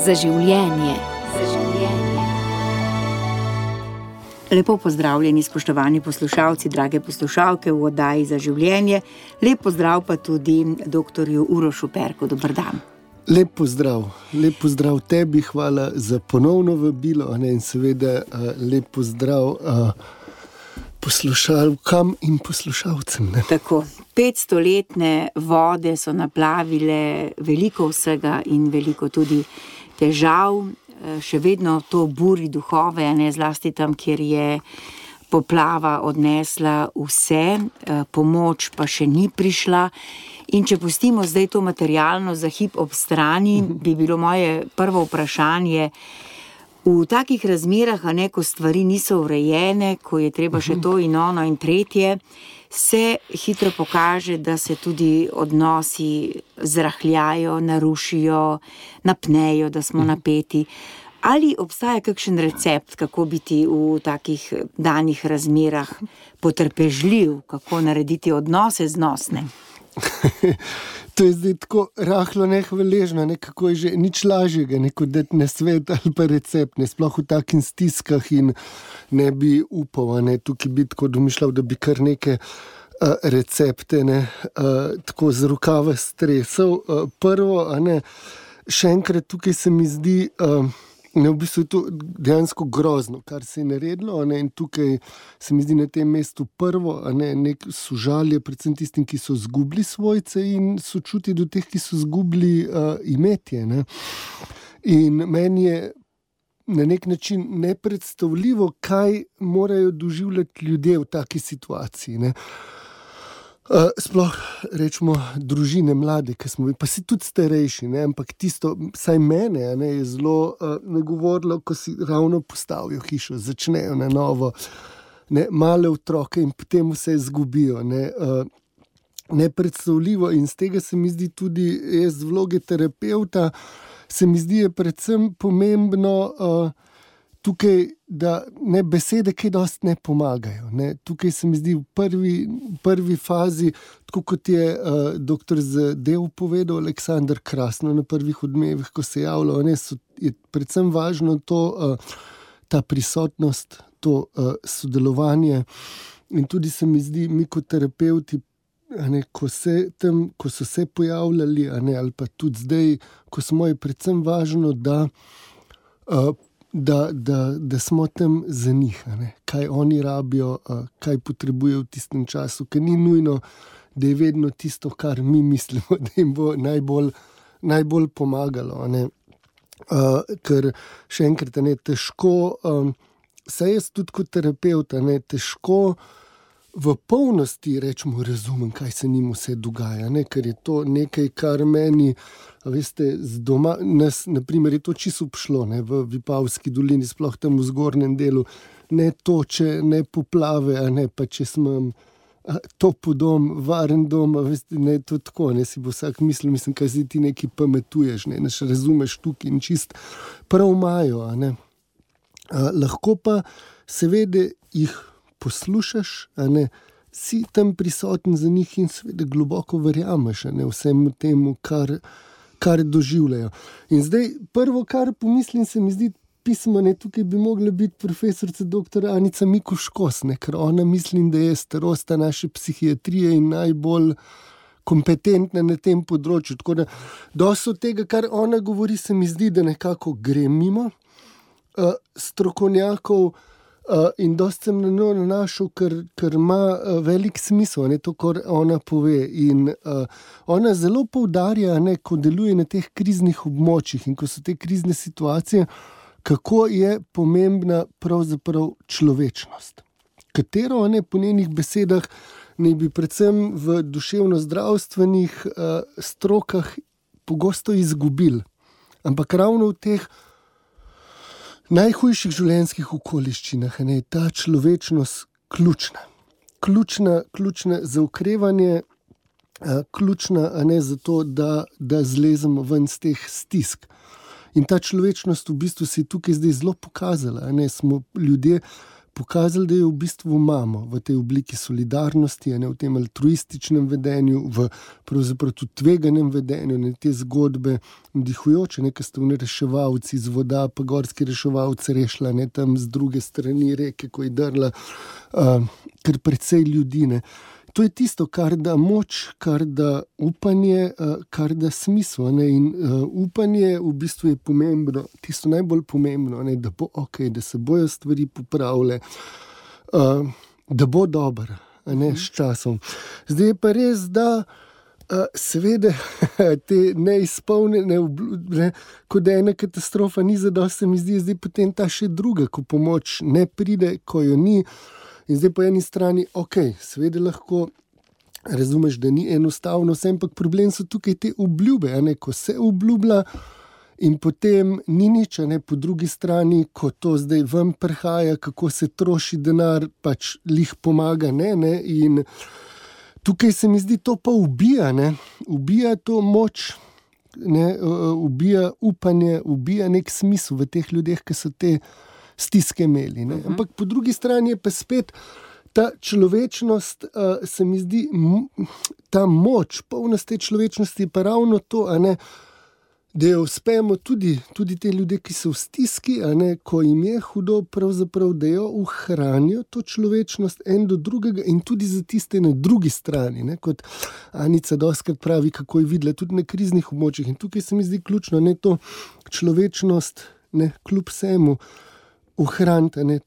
Za življenje. Lepo pozdravljeni, spoštovani poslušalci, drage poslušalke v oddaji Za življenje. Lep pozdrav pa tudi doktorju Urošu Perku. Dober dan. Lep pozdrav tebi, hvala za ponovno vabilo, in seveda lep pozdrav poslušalkam in poslušalcem. Tako, 500-letne vode so naplavile veliko vsega in veliko tudi težav. Še vedno to buri duhove, zlasti tam, kjer je poplava odnesla vse, pomoč pa še ni prišla. In če pustimo zdaj to materialno za hip ob strani, bi bilo moje prvo vprašanje, v takih razmerah, ko stvari niso urejene, ko je treba še to in ono in tretje, se hitro pokaže, da se tudi odnosi zrahljajo, narušijo, napnejo, da smo napeti. Ali obstaja kakšen recept, kako biti v takih danih razmerah potrpežljiv, kako narediti odnose znosne? To je zdaj tako rahlo nehvaležno, kako je že nič lažjega, kot dati nasvet ali pa recept, sploh v takih stiskah, in ne bi upal, tukaj bi tako domišljal, da bi kar neke recepte tako z rokava stresal. Prvo, še enkrat tukaj se mi zdi, v bistvu je to dejansko grozno, kar se je naredilo, in tukaj se mi zdi na tem mestu prvo, nek sožalje predvsem tistim, ki so izgubili svojce, in sočutje do teh, ki so izgubili imetje. In meni je na nek način nepredstavljivo, kaj morajo doživljati ljudje v taki situaciji. Sploh rečemo družine mlade, ki smo, pa si tudi starejši, ampak tisto, saj mene, je zelo nagovorilo, ko si ravno postavijo hišo, začnejo na novo, male otroke in potem vse izgubijo. Nepredstavljivo, in z tega se mi zdi tudi, jaz z vloge terapevta, se mi zdi je predvsem pomembno tukaj, da besede kaj dosti ne pomagajo. Tukaj se mi zdi v prvi fazi, tako kot je doktor Zadev povedal, Aleksandar Krasno na prvih odmevih, ko se javljajo, je predvsem važno to, ta prisotnost, to sodelovanje, in tudi se mi zdi, mi kot terapevti, ko so se pojavljali, ali pa tudi zdaj, ko smo, je predvsem važno, da smo tam za njih, kaj oni rabijo, kaj potrebujejo v tistem času, ker ni nujno, da je vedno tisto, kar mi mislimo, da jim bo najbolj pomagalo. Ker še enkrat, težko, saj jaz tudi kot terapevt, težko v polnosti rečemo, razumem, kaj se njim vse dogaja, ker je to nekaj, kar meni, veste, z doma, nas, naprimer, je to čisto obšlo, v Vipavski dolini, sploh tam v zgornjem delu, ne toče, ne poplave, pa če smo topel dom, varen dom, veste, to tako, si bo vsak mislil, kaj si ti nekaj pametuješ, naš razumeš tukaj in čist prav imajo, lahko pa seveda jih poslušaš, si tam prisoten za njih in seveda globoko verjameš, vsemu temu, kar doživljajo. In zdaj, prvo, kar pomislim, se mi zdi pismo, tukaj bi mogla biti profesorica dr. Anica Mikuš-Kos, ker ona, mislim, da je starosta naše psihiatrije in najbolj kompetentna na tem področju. Tako da, dosti od tega, kar ona govori, se mi zdi, da nekako gre mimo strokovnjakov, in dosti sem na njo nanašal, ker ima velik smisel, to, kar ona pove. In ona zelo poudarja, ko deluje na teh kriznih območjih in ko so te krizne situacije, kako je pomembna pravzaprav človečnost, katero po njenih besedah naj bi predvsem v duševno-zdravstvenih strokah pogosto izgubili. Ampak ravno v teh najhujših življenjskih okoliščinah je ta človečnost ključna. Ključna za okrevanje, ključna za to, da zlezemo ven z teh stisk. In ta človečnost v bistvu se je tukaj zdaj zelo pokazala. Smo ljudje pokazali, da jo v bistvu imamo v tej obliki solidarnosti, v tem altruističnem vedenju, v pravzaprav tudi tveganem vedenju, te zgodbe vdihujoče, ki ste v reševalci z voda, pa gorski reševalci rešila, tam z druge strani reke, ko je drla, kar precej ljudi, ne. To je tisto, kar da moč, kar da upanje, kar da smisel, ne. In upanje v bistvu je pomembno, tisto najbolj pomembno, ne, da bo ok, da se bojo stvari popravile, da bo dobro, ne, s časom. Zdaj je pa res, da seveda te neizpolnjene obljube, ko da ena katastrofa ni zadosti, se mi zdi, zdaj potem ta še druga, ko pomoč ne pride, ko jo ni. In zdaj po eni strani, ok, seveda lahko razumeš, da ni enostavno vse, ampak problem so tukaj te obljube, ko se obljublja in potem ni nič, po drugi strani, ko to zdaj ven prihaja, kako se troši denar, pač lih pomaga, ne, in tukaj se mi zdi, to pa ubija, ubija to moč, ubija upanje, ubija nek smisel v teh ljudeh, ki so te stiske imeli, ne. Ampak po drugi strani je pa spet ta človečnost, se mi zdi, ta moč, polnost te človečnosti je pa ravno to, da jo uspemo tudi te ljudje, ki so v stiski, ko jim je hudo, pravzaprav, da jo ohranijo to človečnost en do drugega in tudi za tiste na drugi strani, kot Anica dostikrat pravi, kako je videla tudi na kriznih območjih. In tukaj se mi zdi ključno, to človečnost, kljub vsemu, ohraniti,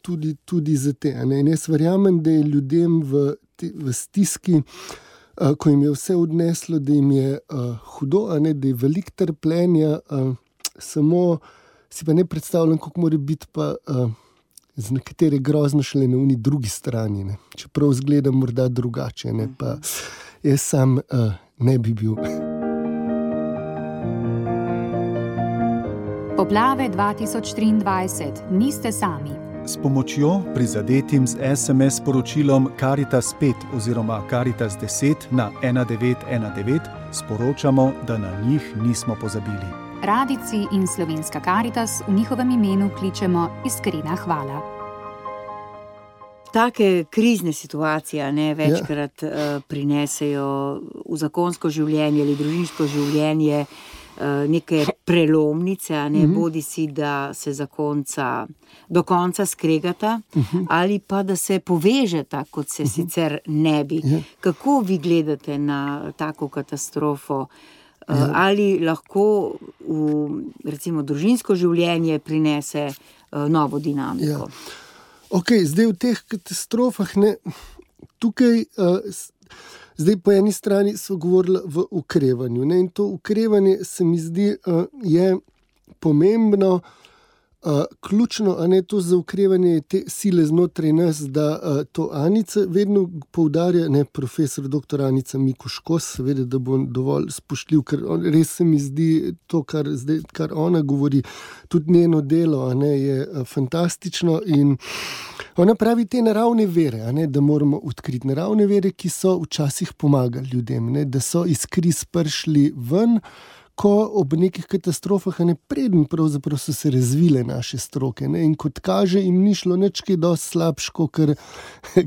tudi za te. In jaz verjamem, da je ljudem v stiski, ko jim je vse odneslo, da jim je hudo, da je veliko trpljenja, samo si pa ne predstavljam, kako mora biti pa z nekatere grozno šele na uni drugi strani. Čeprav izgleda morda drugače, pa jaz sam ne bi bil. Poplave 2023. Niste sami. S pomočjo prizadetim z SMS sporočilom Karitas 5 oziroma Karitas 10 na 1919 sporočamo, da na njih nismo pozabili. Radijci in Slovenska Karitas v njihovem imenu kličemo iskrena hvala. Take krizne situacije večkrat prinesejo v zakonsko življenje ali družinsko življenje neke prelomnice, bodi si, da se do konca skregata, ali pa da se povežeta, kot se sicer ne bi. Kako vi gledate na tako katastrofo? Ali lahko recimo družinsko življenje prinese novo dinamiko? Ok, zdaj v teh katastrofah, tukaj zdaj po eni strani so govorili v okrevanju, in to okrevanje se mi zdi je pomembno, ključno, to za okrevanje te sile znotraj nas, da to Anica vedno poudarja, profesor dr. Anica Mikuš Kos, seveda, da bom dovolj spoštljiv, ker res se mi zdi to, kar ona govori, tudi njeno delo, je fantastično in ona pravi te naravne vere, da moramo odkriti naravne vere, ki so včasih pomagali ljudem, da so iz kriz prišli ven, ko ob nekih katastrofah, preden pravzaprav so se razvile naše stroke, in kot kaže, jim ni šlo nič kaj dosti slabše,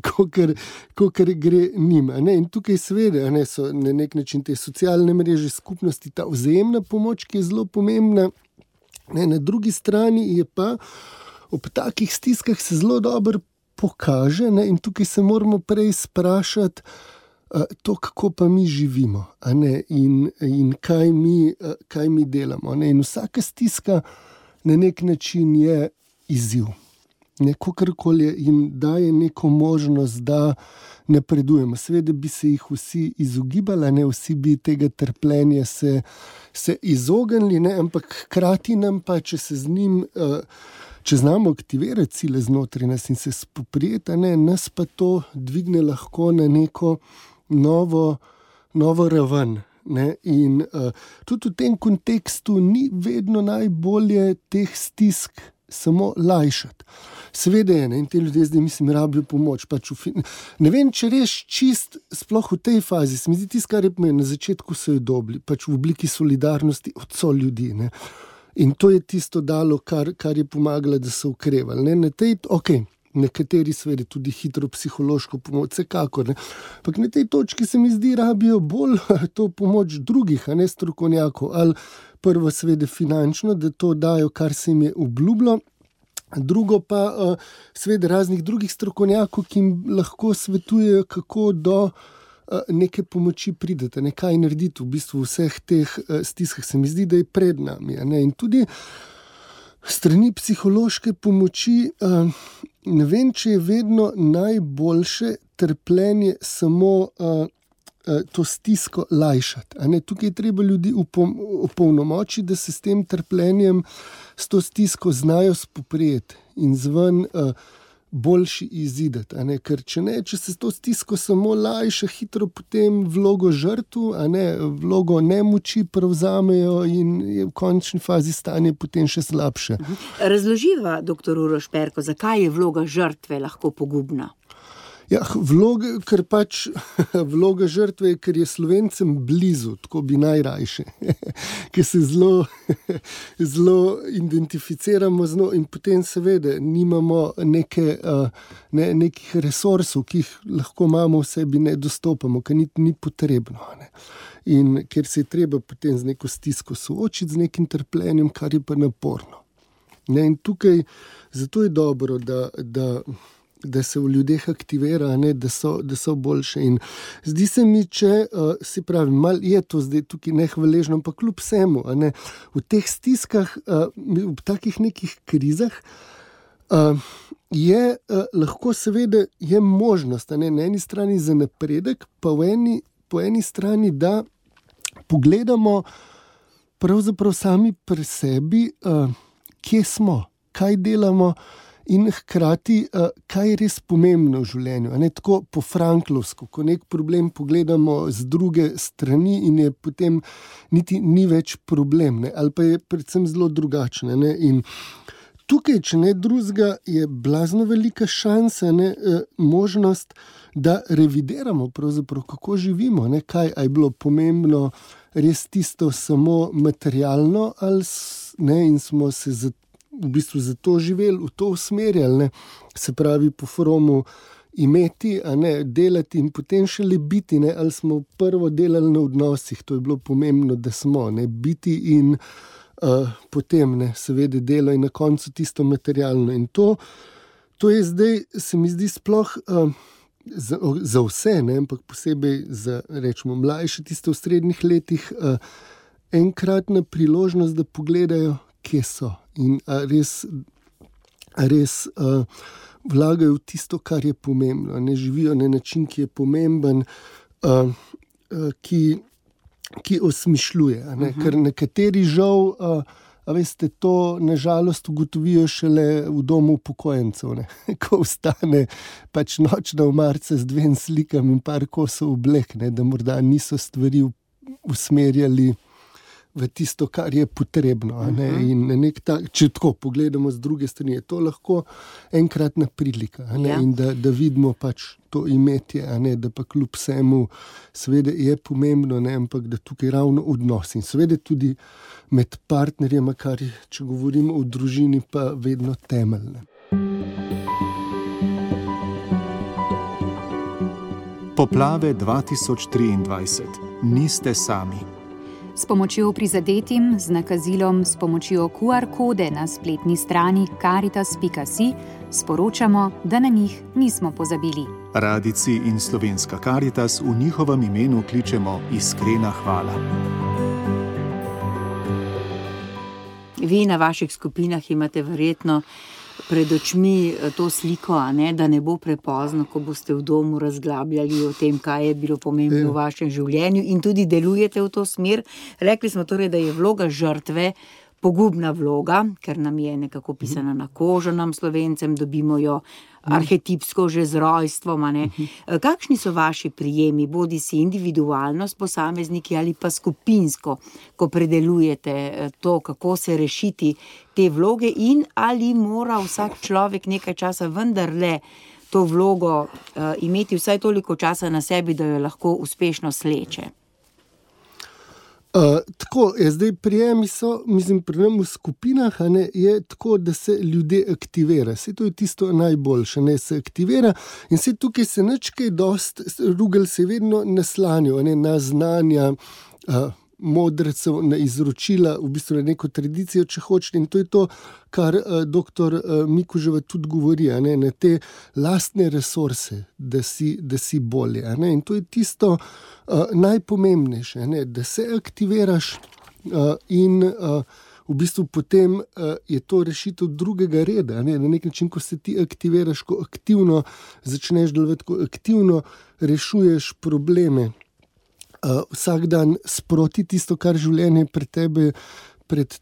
kakor gre njim. In tukaj seveda so na nek način te socialne mreže, skupnosti, ta vzajemna pomoč, ki je zelo pomembna. Na drugi strani je pa ob takih stiskah se zelo dobro pokaže, in tukaj se moramo prej sprašati, to, kako pa mi živimo, in kaj mi delamo. In vsaka stiska na nek način je izziv. Kakorkoli jim daje neko možnost, da napredujemo. Seveda bi se jih vsi izogibali, vsi bi tega trpljenja se izognili, ampak hkrati nam pa, če se z njim, če znamo aktivirati sile znotraj nas in se spoprijeti, nas pa to dvigne lahko na neko novo raven. In tudi v tem kontekstu ni vedno najbolje teh stisk samo lajšati. Seveda je, in te ljudje zdaj, mislim, rabijo pomoč. Ne vem, če reš čist, sploh v tej fazi, se mi zdi tisto, kar je pomembno, na začetku so jo dobili, v obliki solidarnosti od ljudi. In to je tisto dalo, kar je pomagalo, da so okrevali. nekateri seveda tudi hitro psihološko pomoč, vsekakor. Ampak na tej točki se mi zdi, rabijo bolj to pomoč drugih, a ne strokovnjakov. Ali prvo seveda finančno, da to dajo, kar se jim je obljubilo. Drugo pa seveda raznih drugih strokovnjakov, ki jim lahko svetujejo, kako do neke pomoči pridete, kaj narediti v bistvu vseh teh stiskah. Se mi zdi, da je pred nami. In tudi strani psihološke pomoči, ne vem, če je vedno najboljše trpljenje samo to stisko lajšati. Tukaj je treba ljudi opolnomočiti, da se s tem trpljenjem, s to stisko znajo spoprijeti in zven boljši izideti. Ker če se s to stisko samo lajša, hitro potem vlogo žrtvu, vlogo nemoči prevzamejo in je v končni fazi stanje potem še slabše. Razloživa, dr. Uroš Perko, zakaj je vloga žrtve lahko pogubna? Ja, vloga žrtve je, ker je Slovencem blizu, tako bi najrajše, ker se zelo identificiramo z njo in potem seveda nimamo nekih resursov, ki jih lahko imamo v sebi, ne dostopamo, ker ni potrebno. In ker se je treba potem z neko stisko soočiti, z nekim trpljenjem, kar je pa naporno. In tukaj, zato je dobro, da se v ljudeh aktivira, da so boljše. In zdi se mi, če si pravi, malo je to zdaj tukaj nehvaležno, ampak kljub vsemu, v teh stiskah, v takih nekih krizah, je lahko seveda je možnost, na eni strani za napredek, pa po eni strani, da pogledamo pravzaprav sami pri sebi, kje smo, kaj delamo, in hkrati, kaj je res pomembno v življenju. Tako po franklovsko, ko nek problem pogledamo z druge strani in je potem niti ni več problem, ali pa je predvsem zelo drugačne. In tukaj, če ne drugega, je blazno velika šansa, možnost, da revidiramo pravzaprav, kako živimo, kaj je bilo pomembno res tisto samo materialno, in smo se v bistvu zato živeli, v to usmerjali, se pravi po Fromu imeti, delati in potem šele biti, ali smo prvo delali na odnosih, to je bilo pomembno, da smo, biti in potem, seveda delo in na koncu tisto materialno. In to je zdaj, se mi zdi sploh za vse, ampak posebej za, rečemo, mlajše, tiste v srednjih letih, enkratna priložnost, da pogledajo, kje so in res vlagajo v tisto, kar je pomembno. Živijo na način, ki je pomemben, ki osmišljuje. Ker nekateri žal, veste, to nažalost ugotovijo šele v domu upokojencev, ko vstane pač nočna omarica z 2 slikami in par kosov oblek, da morda niso stvari usmerjali v tisto, kar je potrebno. In če tako pogledamo z druge strani, je to lahko enkratna prilika. In da vidimo pač to imetje, da pa kljub vsemu seveda je pomembno, ampak da tukaj ravno odnos in seveda tudi med partnerjema, kar če govorimo o družini, pa vedno temeljne. Poplave 2023. Niste sami. S pomočjo prizadetim, z nakazilom, s pomočjo QR kode na spletni strani caritas.si sporočamo, da na njih nismo pozabili. Radijci in Slovenska Karitas v njihovem imenu kličemo iskrena hvala. Vi na vaših skupinah imate verjetno pred očmi to sliko, da ne bo prepozno, ko boste v domu razglabljali o tem, kaj je bilo pomembno v vašem življenju in tudi delujete v to smer. Rekli smo torej, da je vloga žrtve pogubna vloga, ker nam je nekako pisana na kožo, nam Slovencem, dobimo jo arhetipsko že z rojstvom. Kakšni so vaši prijemi, bodi si individualno s posamezniki ali pa skupinsko, ko predelujete to, kako se rešiti te vloge in ali mora vsak človek nekaj časa vendarle to vlogo imeti vsaj toliko časa na sebi, da jo lahko uspešno sleče? Tako tako, zdaj prijemi so, mislim, pri nam v skupinah, je tako, da se ljudje aktivira. Saj to je tisto najboljše, se aktivira in se tukaj se nič kaj dost, Rugel se vedno naslanjajo, na znanja, modrecev, na izročila, v bistvu na neko tradicijo, če hočete, in to je to, kar doktor Mikuževa tudi govori, na te lastne resurse, da si bolje. In to je tisto najpomembnejše, da se aktiviraš in v bistvu potem je to rešitev drugega reda. Na nek način, ko se ti aktiviraš, ko aktivno začneš delovati, ko aktivno rešuješ probleme, vsak dan sproti tisto, kar življenje pred tebe pred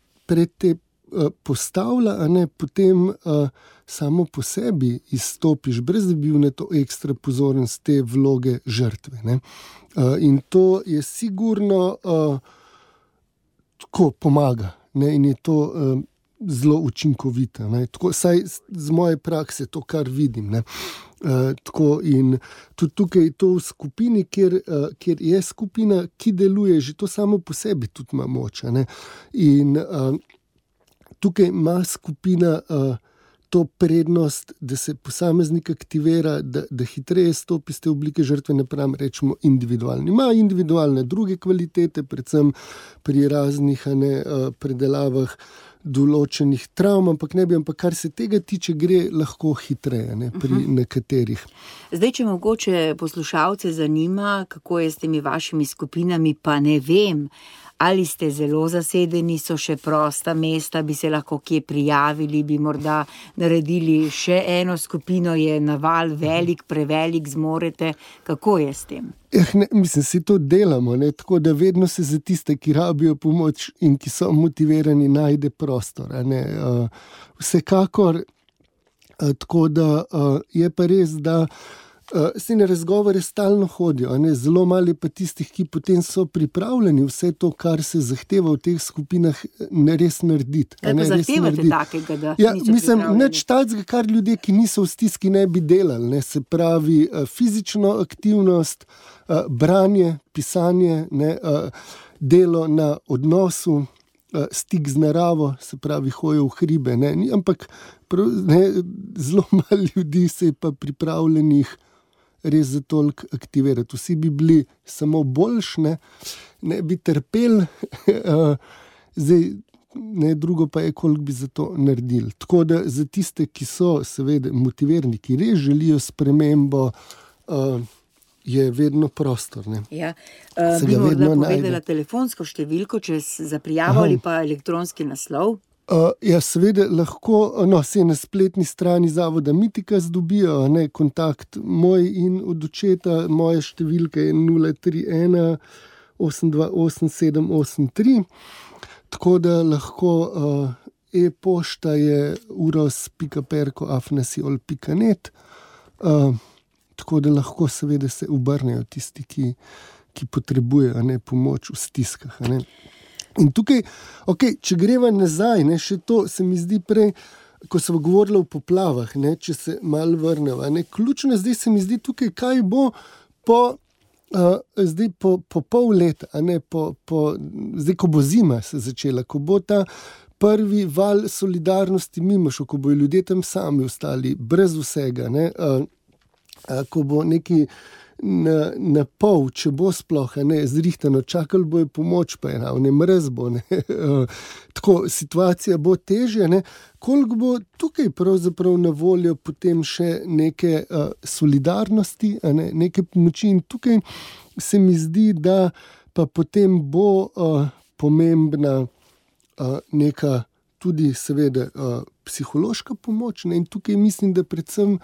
te postavlja, potem samo po sebi izstopiš, brez da bi bil na to ekstra pozoren z te vloge žrtve. In to je sigurno tako pomaga, in je to zelo učinkovito. Tako, saj z moje prakse to, kar vidim. Tako in tudi tukaj to v skupini, kjer je skupina, ki deluje, že to samo po sebi tudi ima moč. In tukaj ima skupina to prednost, da se posameznik aktivira, da hitreje stopi z te oblike žrtve, napram rečemo individualni. Ima individualne druge kvalitete, predvsem pri raznih predelavah določenih travm, ampak kar se tega tiče, gre lahko hitreje pri nekaterih. Zdaj, če mogoče poslušalce zanima, kako je s temi vašimi skupinami, pa ne vem, ali ste zelo zasedeni, so še prosta mesta, bi se lahko kje prijavili, bi morda naredili še eno skupino, je naval velik, prevelik, zmorete, kako je s tem? Mislim, si to delamo, tako da vedno se za tiste, ki rabijo pomoč in ki so motivirani, najde prostor. Vsekakor, tako da je pa res, da se na razgovore stalno hodijo, zelo malo pa tistih, ki potem so pripravljeni vse to, kar se zahteva v teh skupinah, res narediti. Kaj pa zahtevate takega, da niso mislim, pripravljeni? nič takega, kar ljudje, ki niso v stiski, ne bi delali. Se pravi, fizično aktivnost, branje, pisanje, delo na odnosu, stik z naravo, se pravi, hojo v hribe. Ampak zelo malo ljudi se je pa pripravljenih res za toliko aktivirati. Vsi bi bili samo boljši, ne bi trpeli, zdaj drugo pa je, koliko bi za to naredili. Tako da za tiste, ki so seveda motivirani, ki res želijo spremembo, je vedno prostor. Ja. Bi morda povedala telefonsko številko, za prijavo ali pa elektronski naslov? Ja, seveda lahko, se na spletni strani Zavoda Mitikas dobijo, kontakt moj in od očeta, moja številka je 031 828 783, tako da lahko e-pošta je uros.perko@nasiol.net, tako da lahko seveda se obrnejo tisti, ki potrebujejo pomoč v stiskah. In tukaj, če greva nazaj, še to se mi zdi prej, ko smo govorili o poplavah, če se malo vrneva. Ključno zdaj se mi zdi tukaj, kaj bo po pol leta, zdaj, ko bo zima se začela, ko bo ta prvi val solidarnosti mimo šel, ko bojo ljudje tam sami ostali, brez vsega, ko bo neki na pol, če bo sploh zrihtano, čakali bojo pomoč, pa je mrez bo, tako, situacija bo težja, koliko bo tukaj pravzaprav na voljo potem še neke solidarnosti, neke pomoči, in tukaj se mi zdi, da pa potem bo pomembna neka tudi seveda psihološka pomoč, in tukaj mislim, da predvsem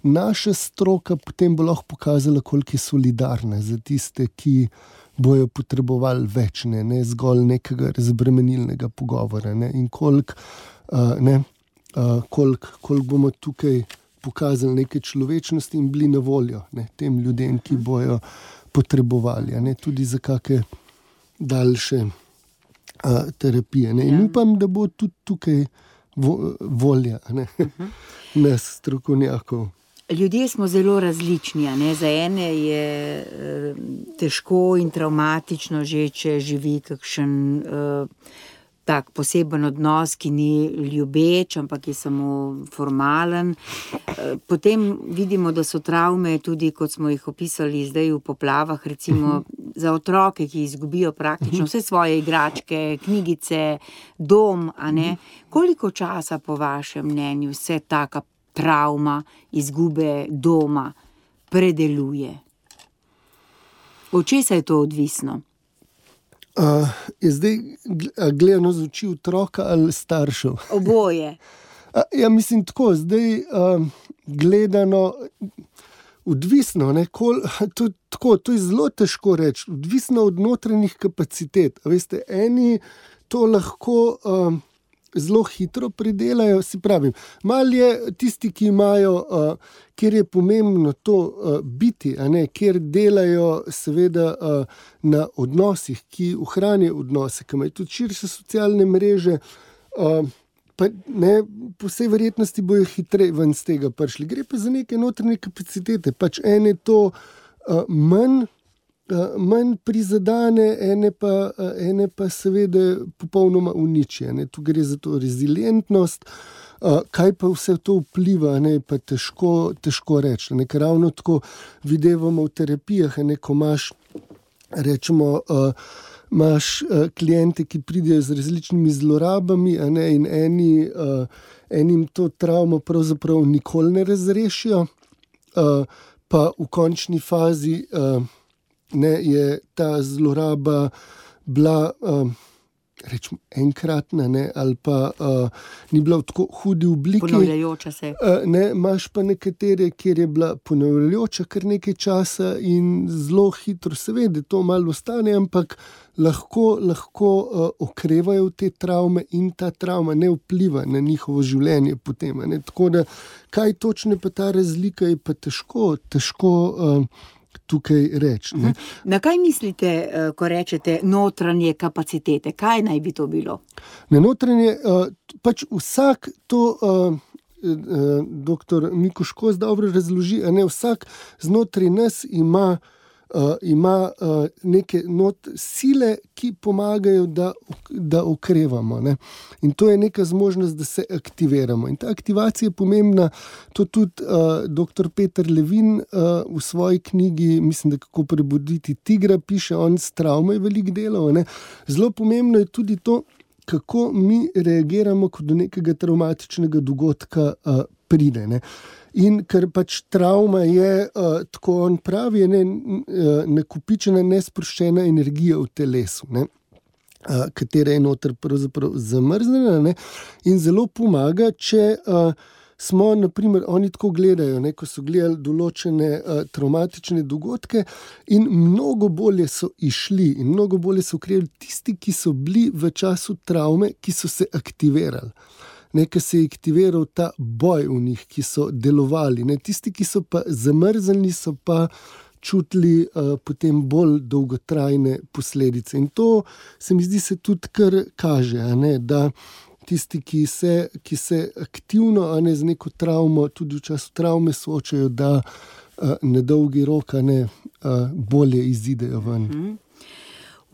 naša stroka potem bo lahko pokazala, koliko je solidarna za tiste, ki bojo potrebovali več, ne zgolj nekega razbremenilnega pogovora, in koliko bomo tukaj pokazali neke človečnosti in bili na voljo tem ljudem, ki bojo potrebovali, tudi za kakšne daljše terapije. In upam, da bo tudi tukaj volja nas strokovnjakov. Ljudje smo zelo različni, a ne? Za ene je težko in travmatično že, če živi kakšen tak poseben odnos, ki ni ljubeč, ampak je samo formalen. Potem vidimo, da so travme tudi, kot smo jih opisali zdaj v poplavah, recimo za otroke, ki izgubijo praktično vse svoje igračke, knjigice, dom, a ne? Koliko časa po vašem mnenju vse taka travma izgube doma predeluje? Od česa je to odvisno? Je zdaj gledano z oči otroka ali staršev? Oboje. Ja, mislim tako, zdaj gledano odvisno, ne, to je zelo težko reči, odvisno od notranjih kapacitet. Veste, eni to lahko zelo hitro pridelajo, si pravim. Malo je tisti, ki imajo, kjer je pomembno to biti, a ne, kjer delajo seveda na odnosih, ki ohranijo odnose, ki imajo tudi širše socialne mreže, pa ne, po vsej verjetnosti bojo hitreje ven z tega prišli. Gre pa za neke notranje kapacitete, pač ene to manj prizadane, ene pa seveda popolnoma uniči. Tu gre za to rezilientnost, kaj pa vse to vpliva, ne, pa težko reči. Ker ravno tako videvamo v terapijah, ko imaš, rečemo, imaš kliente, ki pridejo z različnimi zlorabami, a ne, in enim to travmo pravzaprav nikoli ne razrešijo, pa v končni fazi ne, je ta zloraba bila rečemo enkratna, ne, ali pa ni bila v tako hudi obliki. Ponavljajoča se. Ne, imaš pa nekatere, kjer je bila ponavljajoča kar nekaj časa in zelo hitro, seveda to malo ostane, ampak lahko okrevajo te travme in ta travma ne vpliva na njihovo življenje potem. Ne. Tako da, kaj točno pa ta razlika je pa težko tukaj reči. Na kaj mislite, ko rečete notranje kapacitete? Kaj naj bi to bilo? Na notranje, pač vsak to, doktor Miko Škos dobro razloži, a ne, vsak znotraj nas ima neke sile, ki pomagajo, da okrevamo. Ne? In to je neka zmožnost, da se aktiviramo. In ta aktivacija je pomembna, to tudi dr. Peter Levin v svoji knjigi, mislim, da Kako prebuditi tigra, piše, on s travmo je veliko delal. Ne? Zelo pomembno je tudi to, kako mi reagiramo, ko do nekega travmatičnega dogodka pride. Ne? In ker pač travma je, tako on pravi, je nakopičena, nesproščena energija v telesu, ne? Katera je noter pravzaprav zamrznjena, ne? In zelo pomaga, če smo, naprimer, oni tako gledajo, ne? Ko so gledali določene travmatične dogodke in mnogo bolje so išli in mnogo bolje so ukrepali tisti, ki so bili v času travme, ki so se aktivirali. Nekaj se je aktiviral ta boj v njih, ki so delovali. Ne? Tisti, ki so pa zamrznjeni, so pa čutili potem bolj dolgotrajne posledice. In to se mi zdi se tudi kar kaže, a ne? Da tisti, ki se aktivno, a ne, z neko travmo, tudi v času travme soočajo, da na dolgi rok, a ne, bolje izidejo ven.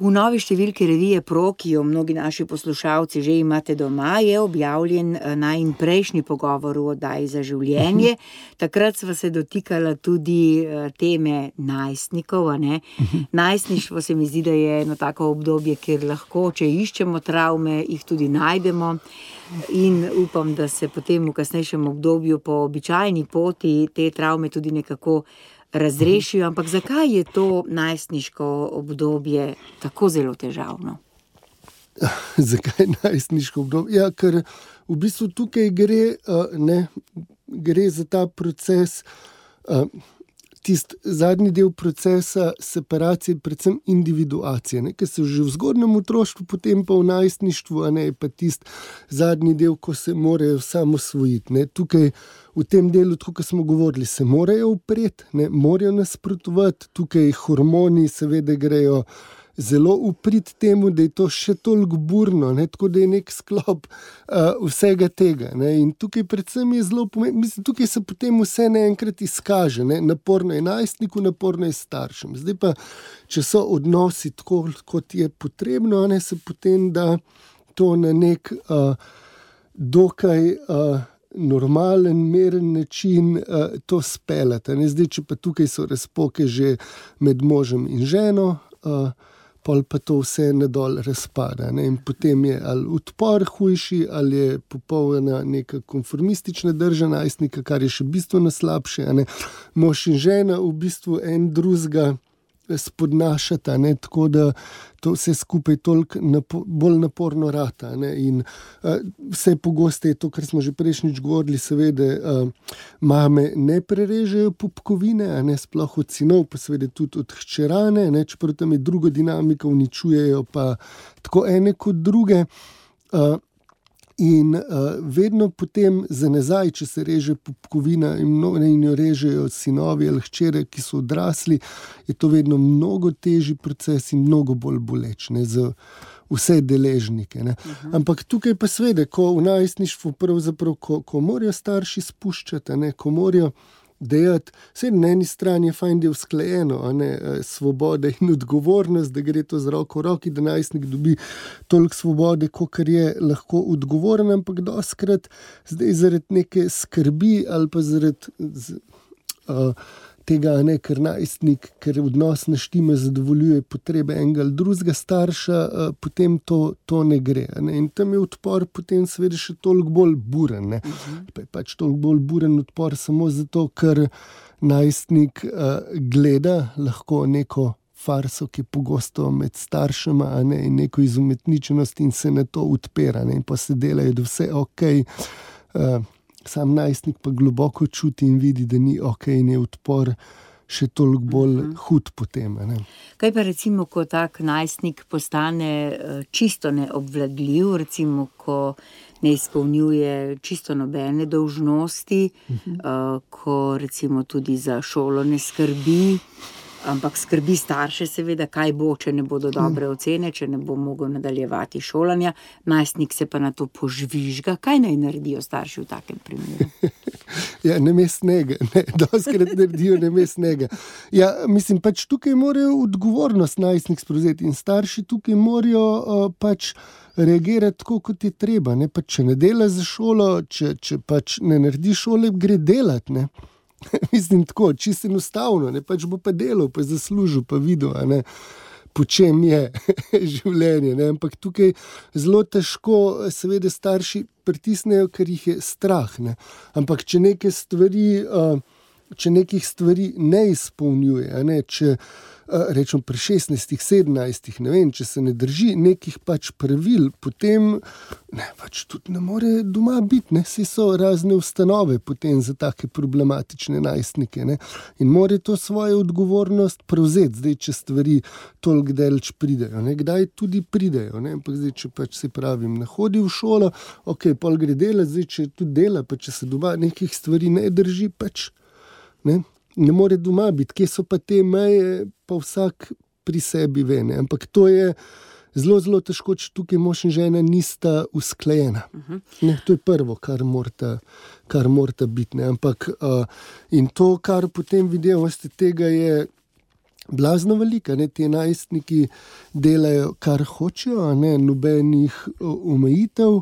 V novi številki revije Pro, ki jo mnogi naši poslušalci že imate doma, je objavljen najin prejšnji pogovor o oddaji Za življenje. Takrat sva se dotikala tudi teme najstnikov, a ne? Najstništvo se mi zdi, da je eno tako obdobje, kjer lahko, če iščemo travme, jih tudi najdemo. In upam, da se potem v kasnejšem obdobju po običajni poti te travme tudi nekako razrešijo, ampak zakaj je to najstniško obdobje tako zelo težavno? Zakaj najstniško obdobje? Ja, ker v bistvu tukaj gre za ta proces, tisti zadnji del procesa separacije, predvsem individuacije, ne, ker se že v zgodnjem otroštvu, potem pa v najstništvu, a ne, pa tisti zadnji del, ko se morajo samosvojiti, ne. Tukaj v tem delu, tako kot smo govorili, se morajo upreti, ne, morajo nasprotovati, tukaj hormoni seveda grejo zelo uprit temu, da je to še toliko burno, ne, tako da je nek sklop vsega tega. Ne, in tukaj predvsem je zelo pomembno, mislim, tukaj se potem vse naenkrat izkaže, ne, naporno je najstniku, naporno je staršem. Zdaj pa, če so odnosi tako, kot je potrebno, ne, se potem da to na nek dokaj normalen, meren način to speljati. Zdaj, če pa tukaj so razpoke že med možem in ženo, pol pa to vse nadol razpada. Ne? In potem je ali odpor hujši, ali je popolna neka konformistična drža najstnika, kar je še bistveno slabše. Ne? Mož in žena v bistvu en drugega spodnašata, ne? Tako da to vse skupaj toliko bolj naporno rata. Ne? In vse pogosteje to, kar smo že prejšnjič govorili, seveda mame ne prerežejo pupkovine, a ne sploh od sinov, pa seveda tudi od hčerane, ne? Čeprav tam je druga dinamika, uničujejo pa tako ene kot druge. In vedno potem za nazaj, če se reže pupkovina in jo režejo sinovi ali hčere, ki so odrasli, je to vedno mnogo težji proces in mnogo bolj boleč, ne, za vse deležnike. Ne. Ampak tukaj pa seveda, ko v najstništvu pravzaprav, ko morajo starši spuščati, ne, ko morajo dejati, vse na eni strani je fajn, da je usklajeno, a ne, svoboda in odgovornost, da gre to z roko v roki, da najstnik dobi toliko svobode, kolikor je lahko odgovoren, ampak dostikrat zdaj zaradi neke skrbi ali pa zaradi tega, ne, ker najstnik, ker odnos ne štima, zadovoljuje potrebe enega ali drugega starša, potem to ne gre. Ne? In tam je odpor potem seveda še toliko bolj buren. Ne? Pa je pač toliko bolj buren odpor samo zato, ker najstnik gleda lahko neko farso, ki je pogosto med staršema, a ne, in neko izumetničenost in se na to odpira. Ne? In pa se delajo, da vse okej. Sam najstnik pa globoko čuti in vidi, da ni okej, in je odpor še toliko bolj hud potem. Ne? Kaj pa recimo, ko tak najstnik postane čisto neobvladljiv, recimo, ko ne izpolnjuje čisto nobene dolžnosti, ko recimo tudi za šolo ne skrbi, ampak skrbi starše seveda, kaj bo, če ne bodo dobre ocene, če ne bo mogel nadaljevati šolanja, najstnik se pa na to požvižga. Kaj naj naredijo starši v takem primeru? Ja, namestnega, ne, dostikrat naredijo namestnega. Ja, mislim, pač tukaj morajo odgovornost najstnik sprevzeti in starši tukaj morajo pač reagirati tako, kot je treba. Ne? Pač, če ne dela za šolo, če pač ne naredi šole, gre delati, ne. Mislim tako, čisto enostavno, ne, pač bo pa delal, pa zaslužil, pa videl, a ne, po čem je življenje, ne, ampak tukaj zelo težko seveda starši pritisnejo, ker jih je strah, ne, ampak če nekih stvari ne izpolnjuje, a ne, če rečem pri 16, 17, ne vem, če se ne drži nekih pač pravil, potem ne, pač tudi ne more doma biti, ne, saj so razne ustanove potem za take problematične najstnike, ne, in more to svojo odgovornost prevzeti, zdaj, če stvari toliko daleč pridejo, ne, kdaj tudi pridejo, ne, ampak zdaj, če pač se pravim, ne hodi v šolo, okej, pol gre delati, zdaj, če tudi dela, pa če se doma nekih stvari ne drži, pač, ne more doma biti, kje so pa te meje, pa vsak pri sebi ve, ne? Ampak to je zelo, zelo težko, če tukaj mož in žena nista usklajena. Ne, to je prvo, kar morata biti, ne? Ampak in to, kar potem vidimo, tega je blazno velika, ne? Ti najstniki delajo, kar hočejo, a ne? Nobenih omejitev.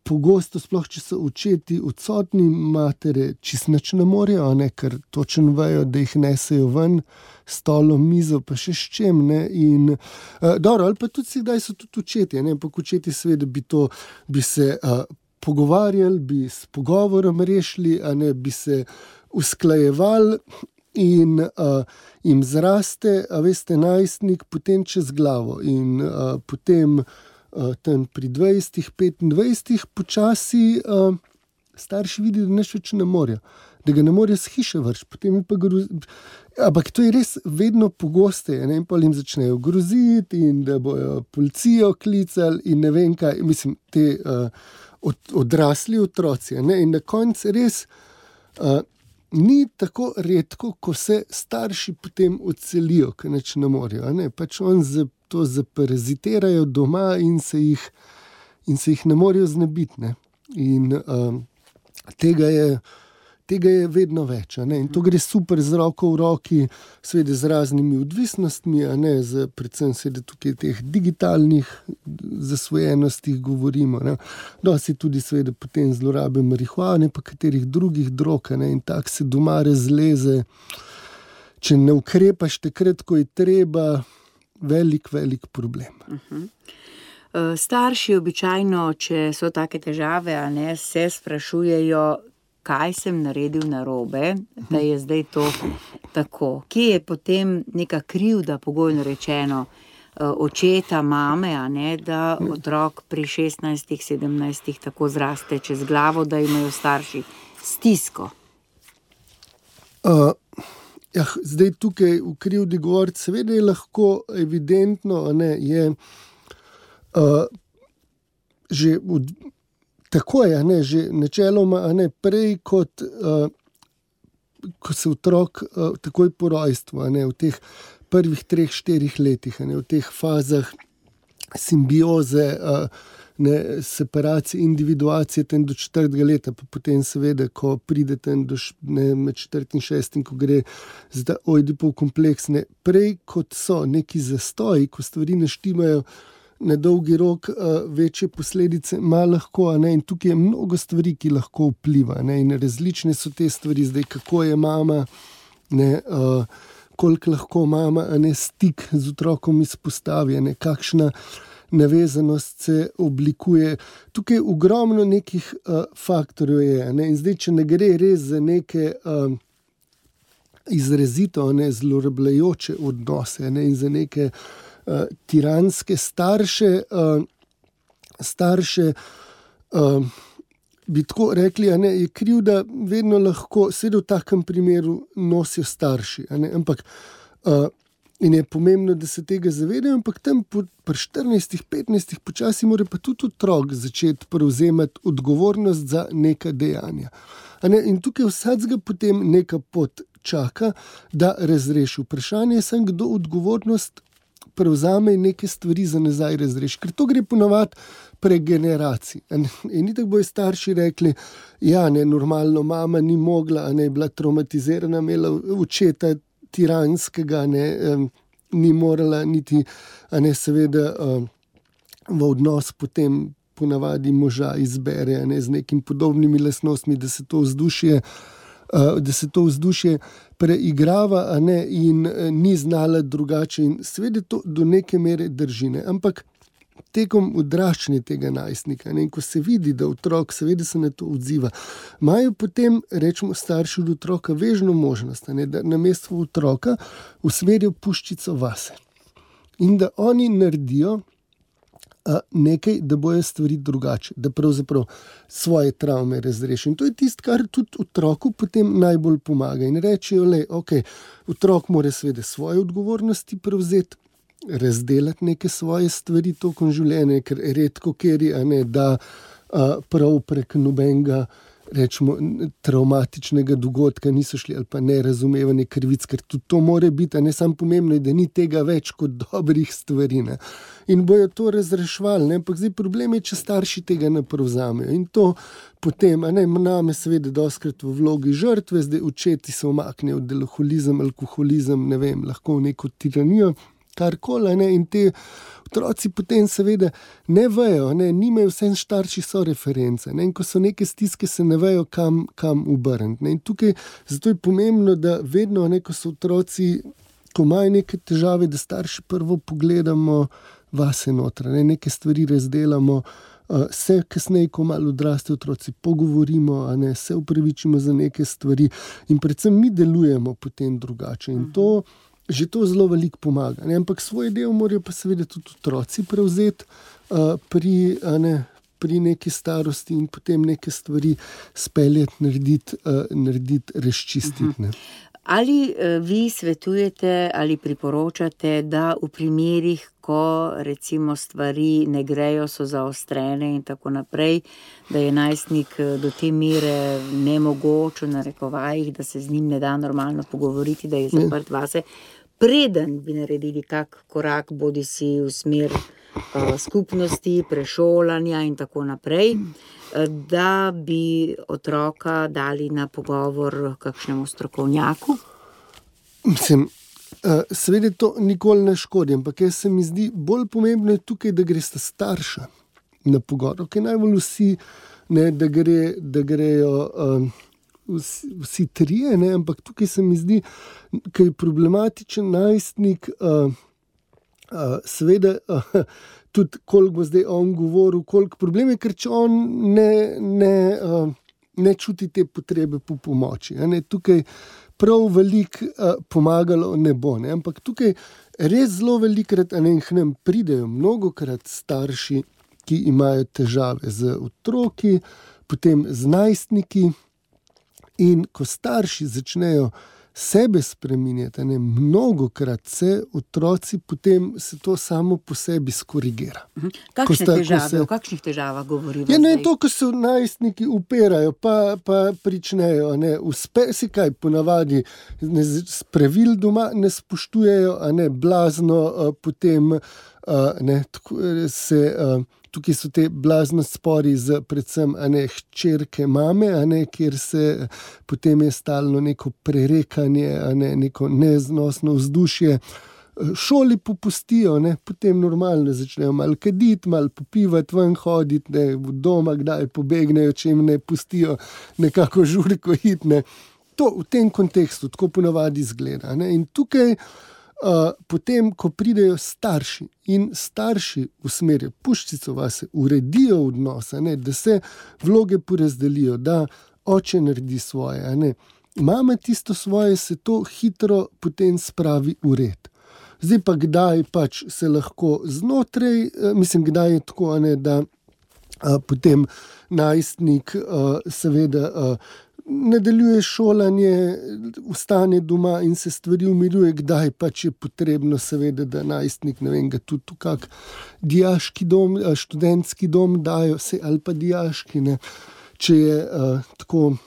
Pogosto, sploh če so očeti odsotni, matere čisto nič ne morejo, ne, ker točno vejo, da jih nesejo ven, stolo, mizo, pa še s čem, ne, in dobro, ali pa tudi kdaj so tudi očeti, ne, ampak očeti seveda bi se pogovarjali, bi s pogovorom rešili, a ne, bi se usklajevali in jim zraste, a veste, najstnik potem čez glavo in potem tam pri 20, 25 počasi starši vidijo, da nič več ne morejo, da ga ne morejo s hiše vrči, potem pa ampak to je res vedno pogosteje, ne, in pa jim začnejo groziti in da bojo policijo klicali in ne vem kaj, mislim, te odrasli otroci, ne, in na koncu res ni tako redko, ko se starši potem odselijo, ker nič ne morejo. Ne? Pač on to zaparazitirajo doma in se jih ne morejo znebiti. Ne? In tega je vedno več. Ne? In to gre super z roko v roki, seveda z raznimi odvisnostmi, predvsem seveda tukaj teh digitalnih zasvojenostih govorimo. Ne? Dosti tudi seveda potem zlorabe marihuane, pa katerih drugih drog, ne? In tak se doma razleze, če ne ukrepaš takrat, ko je treba, velik problem. Starši običajno, če so take težave, se sprašujejo, kaj sem naredil narobe, da je zdaj to tako. Kje je potem neka krivda, pogojno rečeno, očeta, mame, da otrok pri 16, 17 tako zraste čez glavo, da imajo starši stisko? Zdaj tukaj v krivdi govoriti, seveda je lahko evidentno, je že tako je, že načeloma, prej kot ko se otrok takoj po rojstvu, v teh prvih 3-4 letih, v teh fazah simbioze, separacije, individuacije tem do 4. leta, pa potem seveda, ko pride tem do med 4. in 6., ko gre za Ojdipov kompleks, prej kot so neki zastoji, ko stvari ne štimajo, na dolgi rok večje posledice ima lahko, in tukaj je mnogo stvari, ki lahko vpliva, in različne so te stvari, zdaj kako je mama, koliko lahko mama, stik z otrokom izpostavi, kakšna navezanost se oblikuje. Tukaj ogromno nekih faktorjev je, in zdaj, če ne gre res za neke izrazito zlorabljajoče odnose, in za neke tiranske starše, bi tako rekli, je krivda vedno lahko, seveda v takem primeru nosijo starši, ampak in je pomembno, da se tega zavedajo, ampak tam pri 14-15 počasi mora pa tudi otrok začeti prevzemati odgovornost za neka dejanja. In tukaj vsakega potem neka pot čaka, da razreši. Vprašanje je samo, kdo odgovornost prevzame in neke stvari za nazaj razreši. Ker to gre ponavadi prek generacij. In tako bojo starši rekli, normalno mama ni mogla, je bila traumatizirana, imela očeta tiranskega, ni morala niti, seveda v odnos potem ponavadi moža izbere, z nekimi podobnimi lastnostmi, da se to vzdušje preigrava, in ni znala drugače. In seveda to do neke mere drži, ampak tekom odraščanja tega najstnika, in ko se vidi, da otrok seveda se na to odziva, imajo potem, rečemo, starši od otroka vežno možnost, da namesto otroka usmerijo puščico vase. In da oni naredijo nekaj, da bojo stvari drugače, da pravzaprav svoje travme razrešijo. In to je tisto, kar tudi otroku potem najbolj pomaga. In rečejo, otrok mora seveda svoje odgovornosti prevzeti, razdelati neke svoje stvari tokom življenja, ker redko kjer je, da prav prek nobenega, rečemo, traumatičnega dogodka niso šli, ali pa nerazumevanje krivic, ker tudi to more biti, ne samo pomembno je, da ni tega več kot dobrih stvari. In bojo to razrešvali, ampak zdaj problem je, če starši tega ne prevzamejo. In to potem, name seveda dostikrat v vlogi žrtve, zdaj očeti se umaknejo v alkoholizem, lahko v neko tiranijo, karkoli, in te otroci potem seveda ne vejo, nimajo, vse starši so reference, in ko so neke stiske, se ne vejo, kam obrniti. In tukaj, zato je pomembno, da vedno, ko so otroci, ko imajo neke težave, da starši prvo pogledamo vase noter, neke stvari razdelamo, se kasneje, ko malo odrastejo otroci, pogovorimo, se upravičimo za neke stvari in predvsem mi delujemo potem drugače. In to že to zelo veliko pomaga. Ampak svoj del morajo pa seveda tudi otroci prevzeti pri neki starosti in potem neke stvari speljati, narediti, razčistiti. Ali vi svetujete ali priporočate, da v primerih, ko recimo stvari ne grejo, so zaostrene in tako naprej, da je najstnik do te mere nemogoč v narekovajih, da se z njim ne da normalno pogovoriti, da je zaprt vase, preden bi naredili kak korak, bodi si v smer skupnosti, prešolanja in tako naprej, da bi otroka dali na pogovor kakšnemu strokovnjaku? Mislim, seveda to nikoli ne škodi, ampak jaz se mi zdi bolj pomembno je tukaj, da gresta starša na pogovor. Okay, najbolj vsi, ne, da grejo vsi trije, ne, ampak tukaj se mi zdi, ker je problematičen najstnik, seveda tudi koliko bo zdaj on govoril, koliko problem je, ker če on ne čuti te potrebe po pomoči. Ne, tukaj prav veliko pomagalo ne bo, ne, ampak tukaj res zelo velikrat k nam pridejo mnogokrat starši, ki imajo težave z otroki, potem z najstniki, in ko starši začnejo sebe spreminjati, mnogokrat se otroci, potem se to samo po sebi skorigira. Kakšne težave, o kakšnih težavah govorijo? Ja, ne, to, ko se najstniki upirajo, pa pričnejo, si kaj ponavadi, pravil doma ne spoštujejo, blazno, potem tukaj so te blazno spori z predvsem hčerke mame, kjer se potem je stalno neko prerekanje, neko neznosno vzdušje. Šoli popustijo, potem normalno začnejo malo kaditi, malo popivati, ven hoditi, v doma kdaj pobegnejo, če jim ne pustijo nekako žurko iti. To v tem kontekstu tako ponavadi izgleda. In tukaj potem, ko pridejo starši in starši usmerijo puščico vase, uredijo odnose, da se vloge porazdelijo, da oče naredi svoje, mama tisto svoje, se to hitro potem spravi v red. Zdaj pa kdaj pač se lahko znotraj, kdaj je tako, da potem najstnik seveda nadaljuje šolanje, ostane doma in se stvari umiruje, kdaj pač je potrebno seveda, da najstnik, ga tudi v kak dijaški dom, študentski dom dajo, ali pa dijaški, če je tako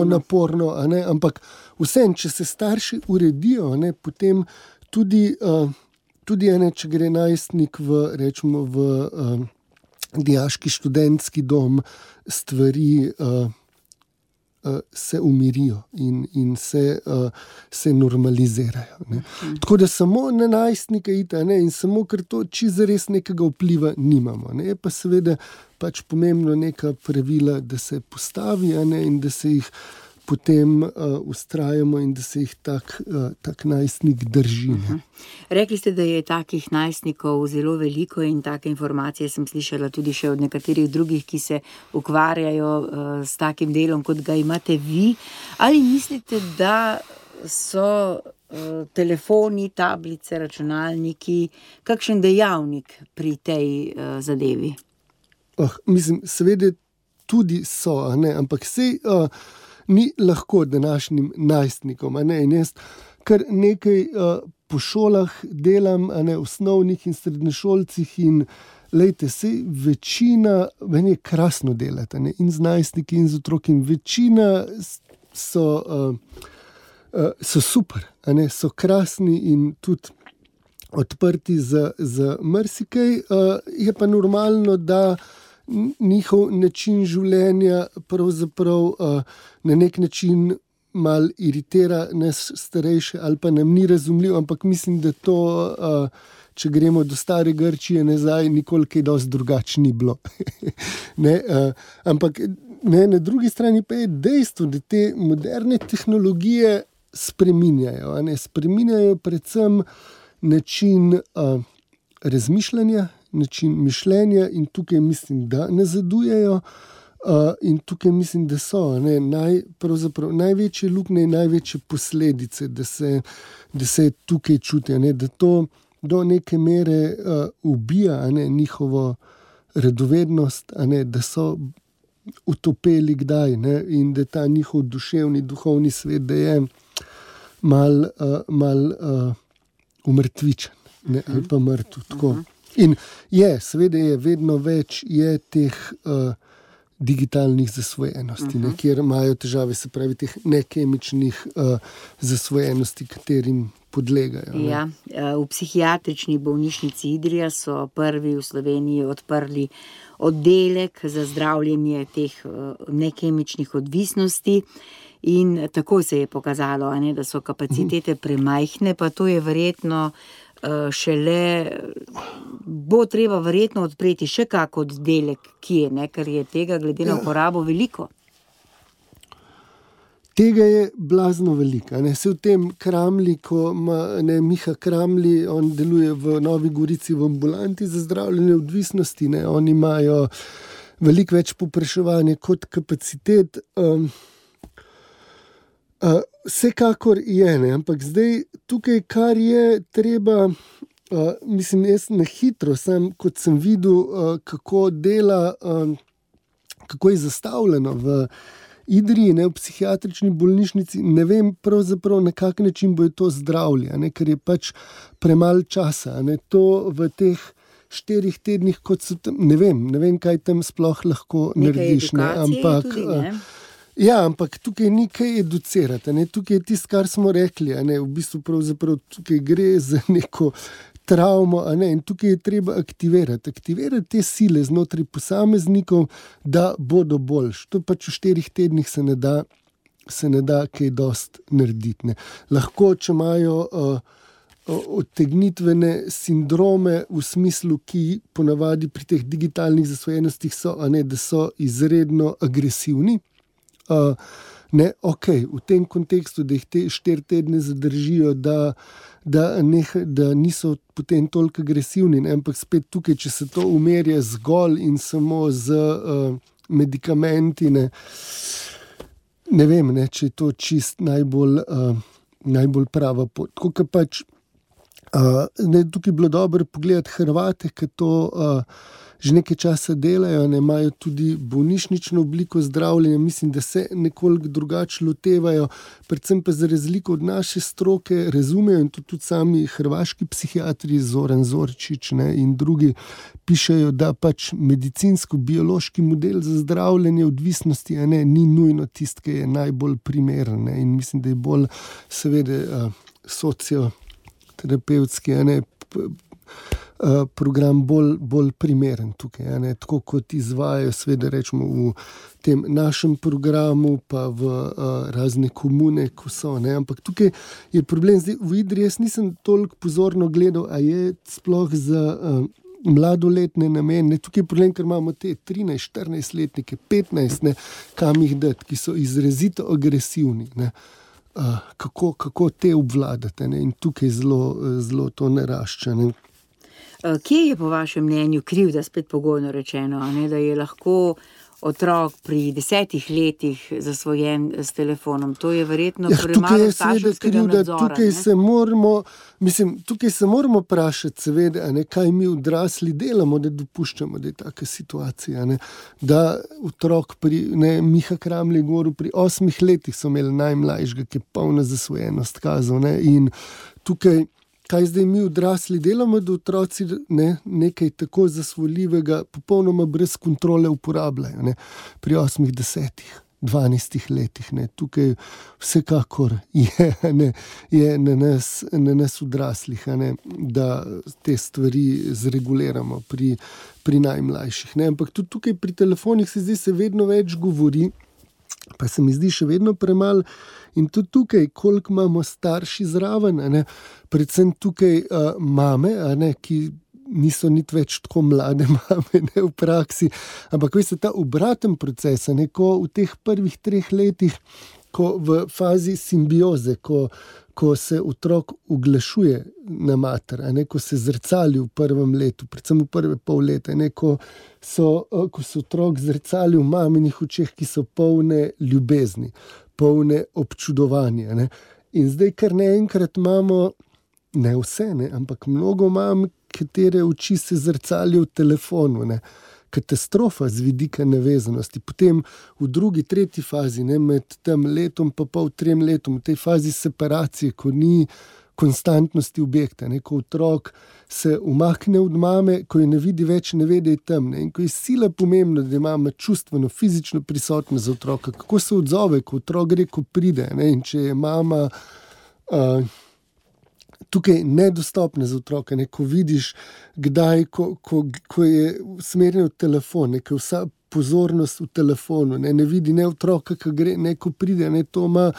naporno, ampak vsem, če se starši uredijo, potem tudi če gre najstnik v dijaški študentski dom, stvari se umirijo in se normalizirajo. Tako da samo na najstnika ita, in samo ker to čisto res nekega vpliva nimamo. Je pa seveda pač pomembno neka pravila, da se postavi, in da se jih potem ustrajamo in da se jih tak najstnik drži. Rekli ste, da je takih najstnikov zelo veliko in take informacije sem slišala tudi še od nekaterih drugih, ki se ukvarjajo s takim delom, kot ga imate vi. Ali mislite, da so telefoni, tablice, računalniki kakšen dejavnik pri tej zadevi? Seveda tudi so, ampak sej ni lahko današnjim najstnikom. In jaz kar nekaj po šolah delam, osnovnih in srednješolcih, in lejte, sej večina, meni je krasno delati, in z najstniki in z otroki, in večina so super, so krasni in tudi odprti za marsikaj. Je pa normalno, da njihov način življenja pravzaprav na nek način malo iritira nas starejše ali pa nam ni razumljiv, ampak mislim, da to, če gremo do stare Grčije nazaj, nikoli kaj dosti drugače ni bilo. Ampak na drugi strani pa je dejstvo, da te moderne tehnologije spreminjajo predvsem način razmišljanja, način mišljenja, in tukaj mislim, da nazadujejo, in tukaj mislim, da so pravzaprav največje luknje in največje posledice, da se tukaj čutijo, da to do neke mere ubija njihovo radovednost, da so utopeli kdaj, in da ta njihov duševni, duhovni svet, da je umrtvičen, ne, ali pa mrtev. Tako. In seveda je vedno več teh digitalnih zasvojenosti, ne, kjer imajo težave, se pravi, teh nekemičnih zasvojenosti, katerim podlegajo. Ne. Ja, v psihiatrični bolnišnici Idrija so prvi v Sloveniji odprli oddelek za zdravljenje teh nekemičnih odvisnosti in tako se je pokazalo, ne, da so kapacitete premajhne, pa to je verjetno šele, bo treba verjetno odpreti še kak oddelek, kje, ne, ker je tega glede na uporabo veliko. Tega je blazno veliko. Se v tem Kramli, ko ima Miha Kramli, on deluje v Novi Gorici v ambulanti za zdravljenje odvisnosti, ne, oni imajo veliko več povpraševanja kot kapacitet. Vsekakor je, ne, ampak zdaj tukaj, kar je treba, mislim, jaz na hitro, kot sem videl, kako dela, kako je zastavljeno v Idriji, ne, v psihiatrični bolnišnici, ne vem pravzaprav na kak način bojo to zdravili, ne, ker je pač premalo časa, ne, to v teh 4 tednih, kot so tam, ne vem, kaj tam sploh lahko narediš, ne, ampak tudi, ne? Ja, ampak tukaj ni kaj educirati, ne? Tukaj je tisto, kar smo rekli, ne? V bistvu pravzaprav tukaj gre za neko travmo, ne? In tukaj je treba aktivirati te sile znotraj posameznikov, da bodo boljši. To pač v 4 tednih se ne da kaj dosti narediti, ne? Lahko, če imajo odtegnitvene sindrome v smislu, ki ponavadi pri teh digitalnih zasvojenostih so, ne, da so izredno agresivni. Ne, v tem kontekstu, da jih te 4 tedne zadržijo, da niso potem toliko agresivni, ne, ampak spet tukaj, če se to umerja zgolj in samo z medikamenti, ne vem, ne, če je to čist najbolj prava pot. Tako, ka pač, tukaj bilo dobro pogledati Hrvate, ki to že nekaj časa delajo, ne, imajo tudi bolnišnično obliko zdravljenja, mislim, da se nekoliko drugače lotevajo, predvsem pa za razliko od naše stroke razumejo, in to tudi sami hrvaški psihiatri, Zoran Zorčič, ne, in drugi pišejo, da pač medicinsko-biološki model za zdravljenje odvisnosti, ne, ni nujno tisti, ki je najbolj primeren, ne, in mislim, da je bolj seveda socioterapevtski, ne, program bolj primeren tukaj, ne? Tako kot izvajajo, seveda rečemo v tem našem programu, pa v razne komune, ko so, ne? Ampak tukaj je problem, zdaj v Idriji jaz nisem toliko pozorno gledal, a je sploh za mladoletne namene, tukaj je problem, ker imamo te 13-14 letnike, 15, ne, kam jih dati, ki so izrazito agresivni, ne? Kako te obvladate, ne? In tukaj zelo to narašča, ne? Kje je po vašem mnenju krivda, spet pogojno rečeno, ne, da je lahko otrok pri 10 letih zasvojen s telefonom? To je verjetno premalo starševskega nadzora. Tukaj se moramo vprašati, seveda, ne, kaj mi odrasli delamo, da dopuščamo, da je taka situacija, ne, da otrok Miha Kramli govoril, pri 8 letih so imeli najmlajšega, ki je polna zasvojenost kazal, ne, in tukaj kaj zdaj mi odrasli delamo, da otroci nekaj tako zasvoljivega popolnoma brez kontrole uporabljajo, ne, pri 8, 10, 12 letih, ne, tukaj vsekakor je na nas odraslih, ne, da te stvari zreguliramo pri najmlajših, ne, ampak tudi tukaj pri telefonih se vedno več govori, pa se mi zdi še vedno premalo. In tudi tukaj, koliko imamo starši zraven, ne, predvsem tukaj mame, ne, ki niso niti več tako mlade mame, ne, v praksi, ampak veste, ta obraten proces, ne, ko v teh prvih 3 letih, ko v fazi simbioze, ko se otrok uglašuje na mater, ne, ko se zrcali v prvem letu, predvsem v prve pol leta, ne, ko se otrok zrcali v maminih očeh, ki so polne ljubezni, polne občudovanja, ne. In zdaj, kar naenkrat imamo, ne vse, ne, ampak mnogo mam, katere oči se zrcalijo v telefonu, ne, katastrofa z vidika navezanosti. Potem v drugi, tretji fazi, ne, med tem letom pa pol, 3 letom, v tej fazi separacije, ko ni konstantnosti objekta, ne, ko otrok se umakne od mame, ko je ne vidi več, ne ve, da je tam, ne, in ko je sila pomembno, da je mama čustveno, fizično prisotna za otroka, kako se odzove, ko otrok gre, ko pride, ne, in če je mama tukaj nedostopna za otroka, ne, ko vidiš, kdaj, ko je usmerjen v telefon, ne, ko je vsa pozornost v telefonu, ne vidi ne otroka, ki gre, ne, ko pride, ne, to ima,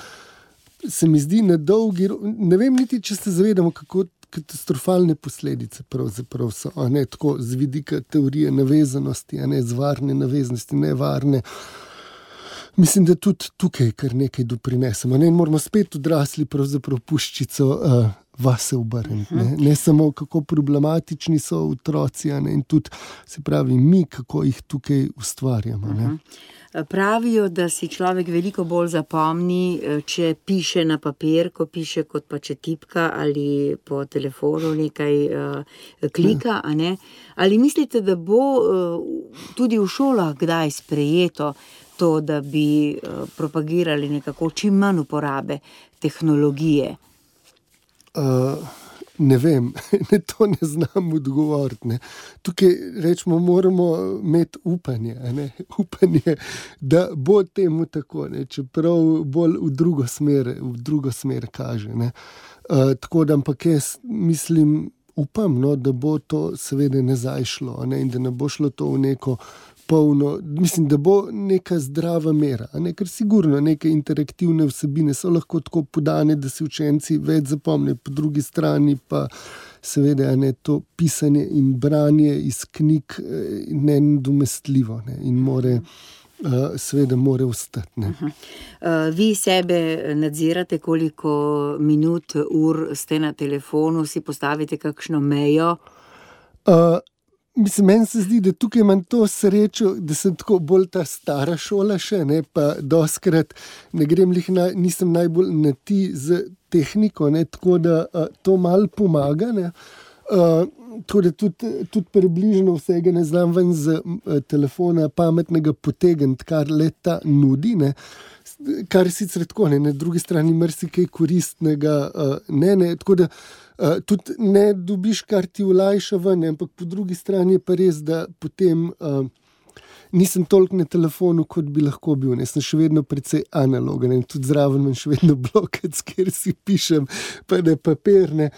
se mi zdi na dolgi, ne vem niti, če se zavedamo, kako katastrofalne posledice pravzaprav so, a ne, tako z vidika teorije navezanosti, a ne, z varne navezanosti, nevarne. Mislim, da tudi tukaj kar nekaj doprinesemo, ne, in moramo spet odrasli pravzaprav puščico vase obrniti, ne samo kako problematični so otroci, a ne, in tudi, se pravi, mi, kako jih tukaj ustvarjamo, ne. Pravijo, da si človek veliko bolj zapomni, če piše na papir, ko piše, kot pa če tipka ali po telefonu nekaj klika, a ne. Ali mislite, da bo tudi v šolah kdaj sprejeto to, da bi propagirali nekako čim manj uporabe tehnologije? Ne vem, to ne znam odgovoriti, ne. Tukaj rečemo, moramo imeti upanje, ne, upanje, da bo temu tako, ne, čeprav bolj v drugo smer kaže, ne. Tako da, ampak jaz mislim, upam, no, da bo to seveda nazaj šlo, ne, in da ne bo šlo to v neko polno, mislim, da bo neka zdrava mera, ne, ker sigurno neke interaktivne vsebine so lahko tako podane, da si učenci več zapomnijo, po drugi strani pa seveda, ne, to pisanje in branje iz knjig nenadomestljivo, ne, in seveda mora ostati, ne. Vi sebe nadzirate, koliko minut, ur ste na telefonu, si postavite kakšno mejo? Mislim, meni se zdi, da tukaj imam to srečo, da sem tako bolj ta stara šola še, ne, pa dostikrat ne grem nisem najbolj na ti z tehniko, ne, tako da to malo pomaga, ne. Tako da tudi približno vsega ne znam ven z telefona pametnega potegniti, kar leta nudi, ne. Kar je sicer tako, ne, na drugi strani marsikaj koristnega, ne, tako da tudi ne dobiš, kar ti olajša ven, ampak po drugi strani je pa res, da potem nisem toliko na telefonu, kot bi lahko bil, ne, sem še vedno precej analogen, in tudi zraven imam še vedno blokec, kjer si pišem, pa ne papir, ne,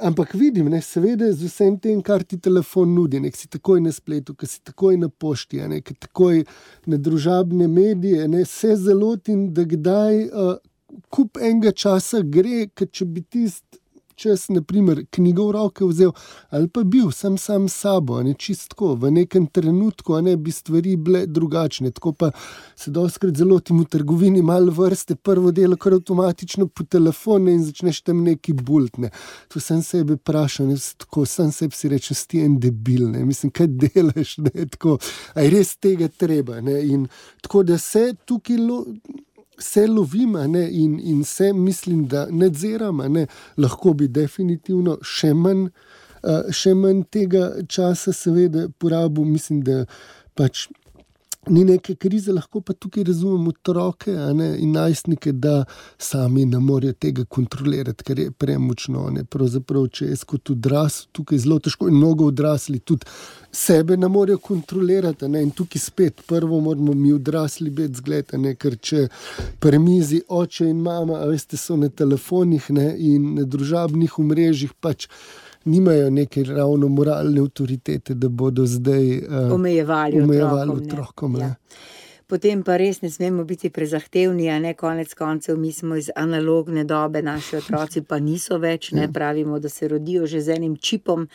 ampak vidim, ne, seveda z vsem tem, kar ti telefon nudi, ne, ki si takoj na spletu, ki si takoj na pošti, ne, ki takoj na družabne medije, ne, se zalotim, da kdaj kup enega časa gre, ker če bi čas, naprimer, knjigo v roke vzel, ali pa bil sam sabo, ne, čistko, v nekem trenutku, ne, bi stvari bile drugačne, tako pa se dostikrat zalotim v trgovini, malo vrste, prvo delo kar avtomatično po telefonu in začneš tam neki bult, ne. To sem sebe vprašal, ne, tako, sam sebi si rečem, si en debil, ne, mislim, kaj delaš, ne, tako, a je res tega treba, ne, in tako da se tukaj se lovim, ne, in se mislim, da nadziram, ne, lahko bi definitivno še manj tega časa seveda porabil, mislim, da pač ni neke krize, lahko pa tukaj razumem otroke, ne, in najstnike, da sami ne morejo tega kontrolirati, ker je premočno, ne, pravzaprav, če jaz kot odrasel, tukaj zelo težko in mnogo odrasli tudi sebe ne morejo kontrolirati, ne, in tukaj spet prvo moramo mi odrasli biti zgled, ne, ker če pri mizi oče in mama, a veste, so na telefonih, ne, in na družabnih omrežjih pač nimajo neke ravno moralne avtoritete, da bodo zdaj omejevali otrokom. Ja. Potem pa res ne smemo biti prezahtevni, a ne, konec koncev, mi smo iz analogne dobe, naši otroci pa niso več, ne, pravimo, da se rodijo že z enim čipom,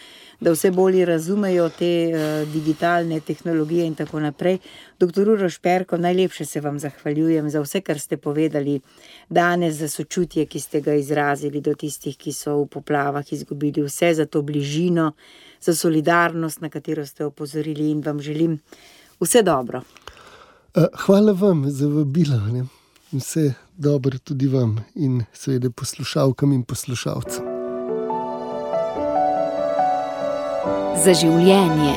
da vse bolje razumejo te digitalne tehnologije in tako naprej. Doktor Uroš Perko, najlepše se vam zahvaljujem za vse, kar ste povedali danes, za sočutje, ki ste ga izrazili do tistih, ki so v poplavah izgubili vse, za to bližino, za solidarnost, na katero ste opozorili, in vam želim vse dobro. Hvala vam za vabilo, ne. Vse dobro tudi vam in seveda poslušalkam in poslušalcem. Za življenje.